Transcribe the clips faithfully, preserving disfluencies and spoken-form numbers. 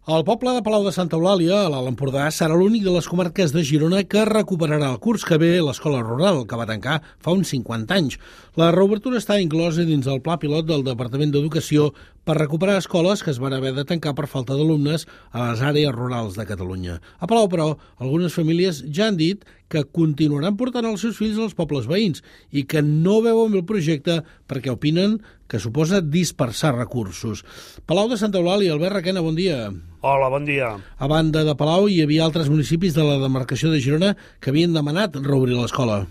El poble de Palau de Santa Eulàlia, a l'Alt Empordà, serà l'únic de les comarques de Girona que recuperarà el curs que ve l'escola rural, que va tancar fa uns cinquanta anys. La reobertura està inclosa dins el pla pilot del Departament d'Educació per recuperar escoles que es van haver de tancar per falta d'alumnes a les àrees rurals de Catalunya. A Palau, però, algunes famílies ja han dit que continuaran portant els seus fills als pobles veïns i que no veuen bé el projecte perquè opinen que suposa dispersar recursos. Palau de Santa Eulàlia, Albert Requena, bon dia. Hola, bon dia. A banda de Palau, hi havia altres municipis de la demarcació de Girona que havien demanat reobrir l'escola.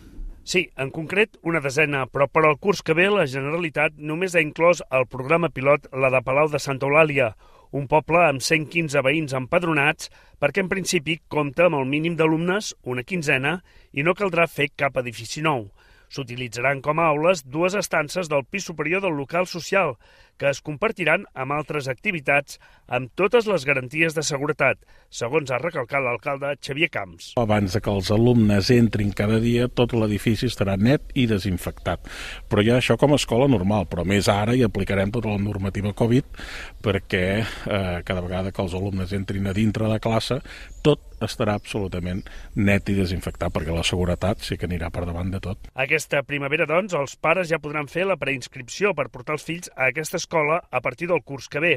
Sí, en concret una desena, però per al curs que ve la Generalitat només ha inclòs el programa pilot la de Palau de Santa Eulàlia, un poble amb cent quinze veïns empadronats, perquè en principi compta amb el mínim d'alumnes, una quinzena, i no caldrà fer cap edifici nou. S'utilitzaran com a aules dues estances del pis superior del local social, que es compartiran amb altres activitats amb totes les garanties de seguretat, segons ha recalcat l'alcalde Xavier Camps. Abans que els alumnes entrin cada dia, tot l'edifici estarà net i desinfectat. Però ja això com a escola normal, però més ara hi aplicarem tota la normativa Covid perquè eh, cada vegada que els alumnes entrin a dintre de classe, tot estarà absolutament net i desinfectat, perquè la seguretat sí que anirà per davant de tot. Aquesta primavera, doncs, els pares ja podran fer la preinscripció per portar els fills a aquesta escola a partir del curs que ve.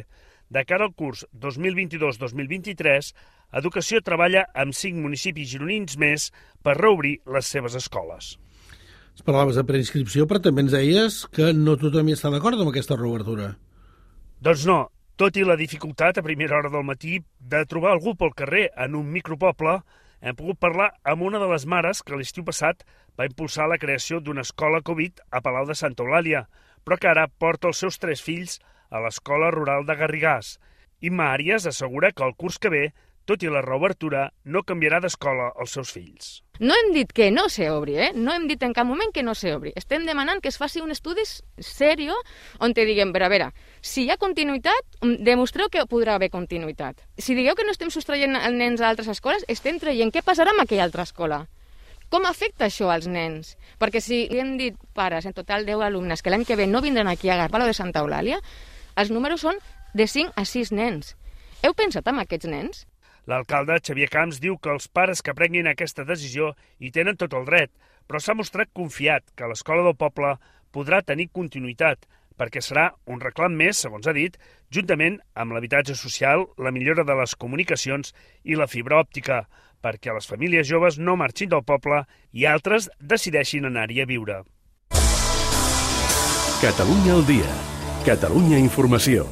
De cara al curs dos mil vint-i-dos dos mil vint-i-tres, Educació treballa amb cinc municipis gironins més per reobrir les seves escoles. Es parlaves de preinscripció, però també ens deies que no tothom hi està d'acord amb aquesta reobertura. Doncs no. Tot i la dificultat a primera hora del matí de trobar algú pel carrer en un micropoble, hem pogut parlar amb una de les mares que l'estiu passat va impulsar la creació d'una escola Covid a Palau de Santa Eulàlia, però que ara porta els seus tres fills a l'escola rural de Garrigàs. Imma Àries assegura que el curs que ve, tot i la reobertura, no canviarà d'escola els seus fills. No hem dit que no s'obri, eh? No hem dit en cap moment que no s'obri. Estem demanant que es faci un estudi seriós on te diguem, però a veure, si hi ha continuïtat, demostreu que podrà haver continuïtat. Si digueu que no estem sostraient els nens a altres escoles, estem traient què passarà amb aquella altra escola. Com afecta això als nens? Perquè si hem dit pares, en total deu alumnes, que l'any que ve no vindran aquí a Palau de Santa Eulàlia, els números són de cinc a sis nens. Heu pensat en aquests nens? L'alcalde Xavier Camps diu que els pares que prenguin aquesta decisió hi tenen tot el dret, però s'ha mostrat confiat que l'escola del poble podrà tenir continuïtat, perquè serà un reclam més, segons ha dit, juntament amb l'habitatge social, la millora de les comunicacions i la fibra òptica, perquè les famílies joves no marxin del poble i altres decideixin anar-hi a viure. Catalunya al dia. Catalunya Informació.